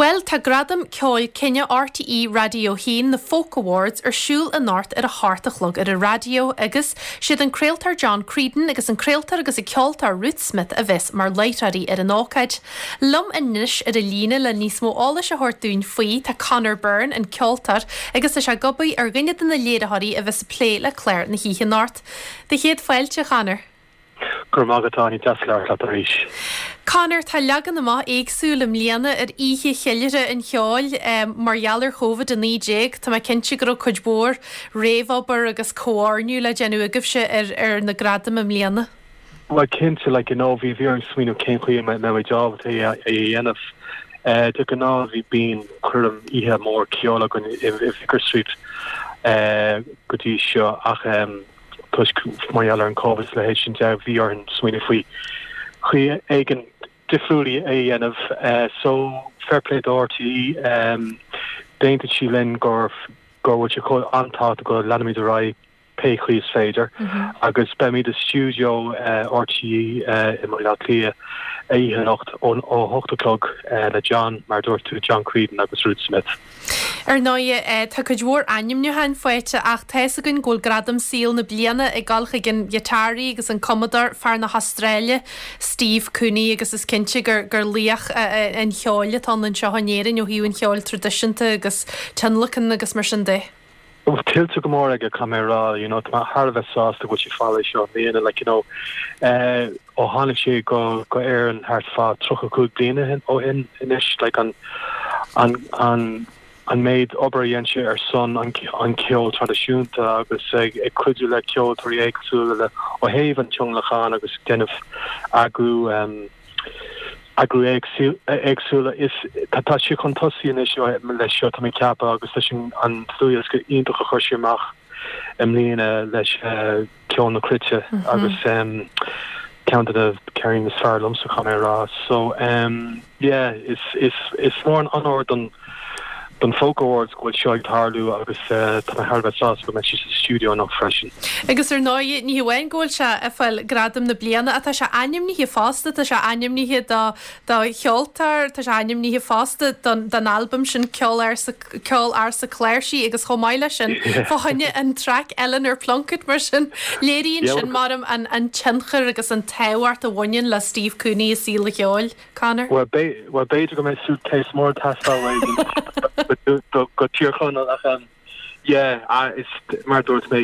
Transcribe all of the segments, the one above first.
Bhuel, tá Gradaim Ceoil Cine RTÉ Raidió 1, na Folk Awards, ar siúl anocht ar a hocht a chlog ar an raidió agus siad an craoltóir John Creedon agus an craoltóir agus an ceoltóir Ruth Smith a bheas mar láithreoirí ar an ócáid. Liom anois ar an líne le níos mó eolais a thabhairt dúinn faoi tá Conor Byrne, an ceoltóir, agus tá sé ag obair ar dhuine de na léiritheoirí a bheas ag plé le clár na hoíche anocht. Do chéad fáilte, a Chonor. Go raibh maith agat, Áine, deas labhairt leat arís. Conor, tá leagan amach éagsúil i mbliana ar oíche cheiliúrtha an cheoil mar gheall ar Covid-19. Tá mé cinnte go raibh cuid mhór réamhobair agus comhoirniú le déanamh agaibhse ar ar na gradaim i mbliana. Bhuel cinnte, like you know, bhí bhí orainn smaoineamh cén chaoi a mbeimid ábalta é a dhéanamh. De ghnáth bhí bíonn coirm oíche mór ceoil againn i Vicar Street go dtí seo ach toisc mar gheall ar an Covid is a leithéid sin de, bhí orainn smaoineamh faoi chaoi éigin difriúil é a dhéanamh. So, fair play do RTÉ, d'aontaigh siad linn gur go bhfuil sé chomh an-tábhachtach go leanfaimid ar aghaidh pé chaoi is féidir agus beimid i stiúideo RTÉ i mBaile Átha Cliath oíche anocht ó 8 a chlog le John, mar a dúirt tú, John Creedon agus Ruth Smith. Ar ndóigh, tá cuid mhór ainmniúcháin faighte ach tá's againn go bhfuil Gradam Saoil na Bliana ag dul chuig an ghiotáraí agus an cumadóir, fear na hAstráile, Steve Cooney agus is cinnte gur gur laoch an cheoil atá ann anseo in Éirinn ó thaobh an cheoil traidisiúnta agus tionlacan agus mar sin de. Tuillte go mór aige, caithfidh mé a rá, you know, tá mé thar a bheith sásta go bhfuil sé ag fáil é seo i mbliana, like, you know, eh, ó tháinig sé go, go Éirinn thart fá 35 bliana ó shin anois, like, an, an, an, an méid obair a dhein sé ar son an, an ceol traidisiúnta agus ag, ag cuidiú le ceoltóirí éagsúla le, ó thaobh an tionlacan agus déanamh eagrú, em, eagrú éagsúla. Is tá sé chun tosaigh anois leis seo, tá mé ag ceapadh, agus leis an dlúthdhiosca iontach a chuir sé amach i mbliana leis Ceol na Cruite agus ceann de na ceirníní is fearr liomsa, caithfidh mé a rá. So yeah, is is mór an onóir don don Folk Awards go bhfuil seo ag tarlú agus tá mé thar a bheith sásta go mbeidh siad sa stiúideo anocht freisin. Agus ar ndóigh, ní hamháin go bhfuil sé ag fáil gradam na bliana ach tá sé ainmnithe fosta, tá sé ainmnithe do do cheoltóir, tá sé ainmnithe fosta don don albam sin Ceol Ársa Ceol Ársa Cláirsí agus chomh maith leis sin fá choinne an traic Eleanor Plunkett mar sin léiríonn sin maram an an tionchar agus an tábhacht a bhaineann le Steve Cooney i saol an cheoil. Conor? Bhuel, b'fhéidir go mbeidh suitcase mór ag teastáil uaidh go Tír Chonaill ach yeah, is mar a dúirt mé,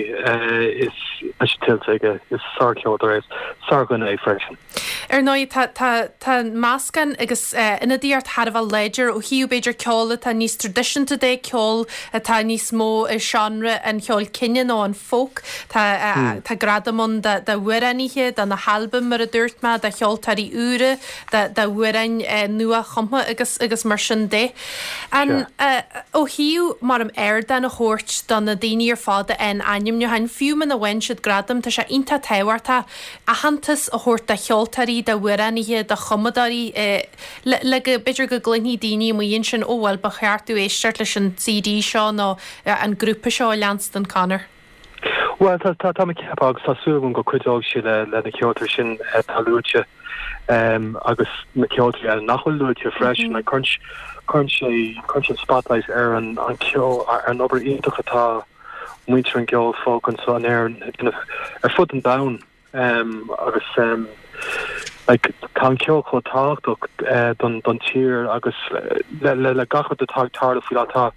is tá sé tuillte aige, is sárcheoltóir é, is sárdhuine é freisin. Ar ndóigh, tá, tá, tá meascán agus ionadaíocht thar a bheith láidir ó thaobh b'fhéidir ceol atá níos traidisiúnta de, ceol atá níos mó i seánra an cheoil cine nó an folk. Tá, tá gradam ann d'amhránaithe, do na halbaim mar a dúirt mé, do cheoltóirí úra, d'amhráin nua-chumtha agus agus mar sin de. An, ó thaobh mar um ardán a thabhairt do na daoine ar fad a fhaigheann ainmniúcháin, fiú muna bhfaigheann siad gradam, tá sé iontach tábhachtach aitheantas a thabhairt do cheoltóirí, d'amhránaithe, do chumadóirí le le go, b'fhéidir go gcluinfidh daoine amuigh ansin, ó bhuel ba cheart domh éisteacht leis an CD seo nó an grúpa seo a leanstan, Conor. Bhuel, tá, tá, tá mé ag ceapadh agus tá súil agam go cuideoidh sé le, le na ceoltóirí sin atá luaite agus na ceoltóirí eile nach bhfuil luaite freisin. Like, cuireann, cuireann sé, cuireann sé spotlight ar an, an ceol, ar an obair iontach atá muintir an gceol folk anseo in Éirinn ag déanamh ar fud an domhain. Agus like tá an ceol chomh tábhachtach don don tír agus le le le gach rud atá ag tarlú faoi láthair tá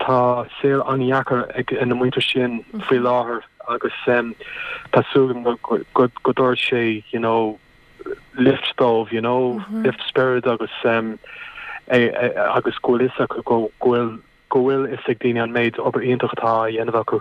tá saol an-dheacair ag na muintir sin faoi láthair agus tá súil agam go go go dtabharfaidh sé you know lift dóibh you know lift spirit agus agus go bhfuil fhios acu go go bhfuil go bhfuil fhios ag daoine an méid obair iontach atá á dhéanamh acu.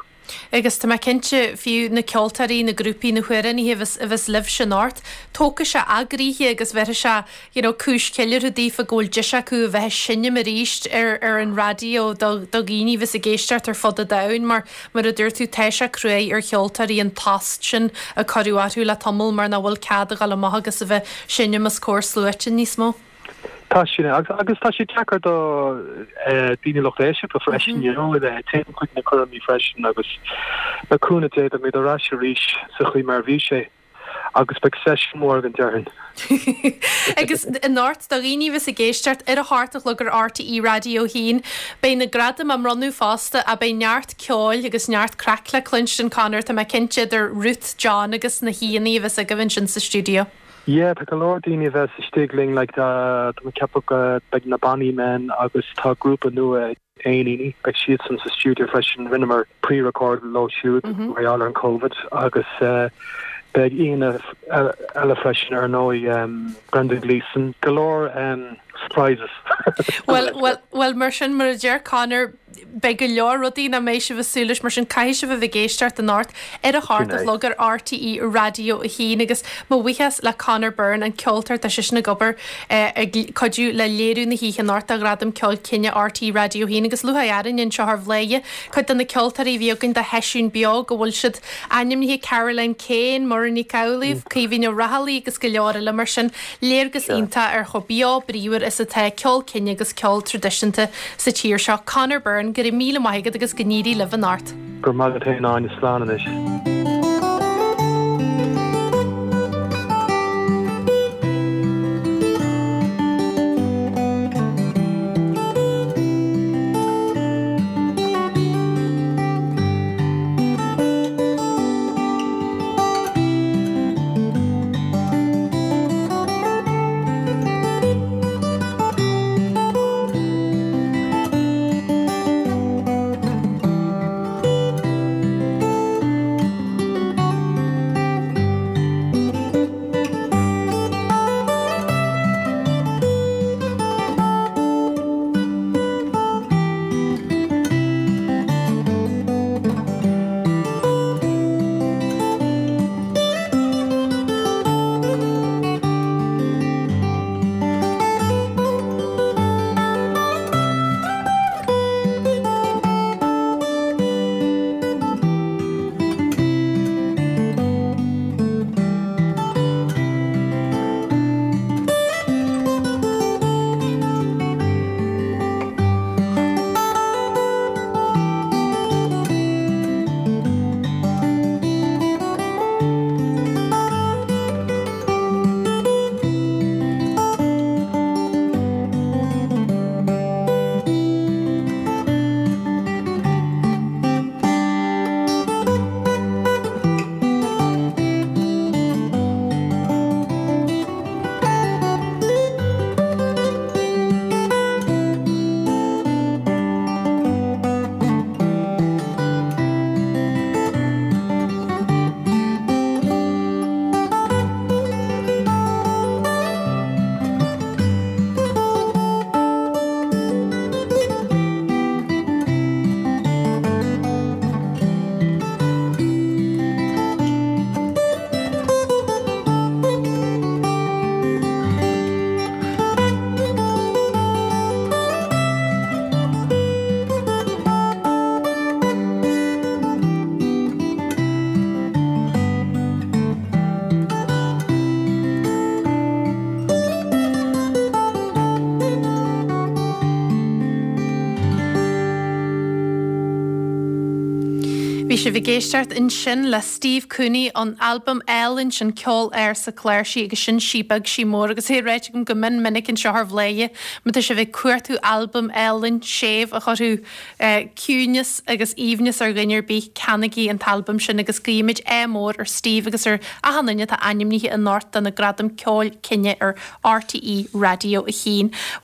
Agus tá mé cinnte, fiú na ceoltóirí, na grúpaí, na hamhránaithe a bheas, a bheas libhse anocht, tógfaidh sé a gcroíthe agus bhéarfaidh sé, you know, cúis cheiliúrtha daofa go bhfuil deis acu a bheith ag seinm arís ar, ar an raidió do, do dhaoine a bheas ag éisteacht ar fud an domhain mar, mar a dúirt tú, tá sé cruaidh ar cheoltóirí an tost sin a cuireadh orthu le tamall mar nach bhfuil cead a dhul amach agus a bheith ag seinm os comhair sluaite níos mó. Tá sin, agus tá sé deacair do daoine lucht éisteachta freisin, you know, téann chuig na coirmí freisin agus le cúnamh Dé beimid ar ais arís sa chaoi mar a bhí sé. Agus beidh seisiún mór againn déarfainn. Agus anocht, do dhaoine a bheas ag éisteacht ar a hocht a chlog ar RTÉ Raidió 1, beidh na gradaim á mbronnadh fosta ach beidh neart ceoil agus neart craic le cluinstin, Conor, tá mé cinnte, idir Ruth, John agus na haíonna a bheas agaibh ansin sa stiúideo. Yeah, tá go leor daoine a bheas istigh linn, like, tá mé ag ceapadh go beidh na Bonny Men agus tá grúpa nua Éiníní, beidh siadsan sa stiúideo freisin, rinneamar pre-record leo siúd mar gheall ar an Covid agus beidh aíonna eile freisin ar ndóigh, Brendan Gleeson, go leor surprises. Bhuel, bhuel, bhuel mar sin, mar a deir Conor, beidh go leor rudaí nach mbeidh sibh ag súil leis, mar sin caithfidh sibh a bheith ag éisteacht anocht ar a hocht a chlog ar RTÉ Raidió 1 agus mo bhuíochas le Conor Byrne, an ceoltóir, tá seisean ag obair ag cuidiú le léiriú na hoíche anocht do Ghradam Ceoil Cine RTÉ Raidió 1 agus lúcháir orainn anseo ar Bhladhaire cuid de na ceoltóirí a bhí againn do sheisiún beo go bhfuil siad ainmnithe Caroline Kane, Muireann Nic Amhlaoibh, Caoimhín Ó Raghallaigh agus go leor eile mar sin. Léargas iontach ar chomh beo bríomhar is atá ceol cine agus ceol traidisiúnta sa tír seo. Conor Byrne, go raibh míle maith agat agus go n-éirí libh anocht. Go raibh maith agat féin Áine, slán anois. Bhí sibh ag éisteacht ansin le Steve Cooney ón albam álainn sin Ceol Ársa Cláirsí agus sin Sí Beag Sí Mór agus é ráite agam go mion minic anseo ar Bhladhaire má tá sibh ag cuartú albam álainn séimh a chuirfeadh ciúineas agus aoibhneas ar dhuine ar bith, ceannaigí an t-albam sin agus guímid ádh mór ar Steve agus ar achan duine atá ainmnithe anocht do na Gradaim Ceoil Cine ar RTÉ Raidió 1.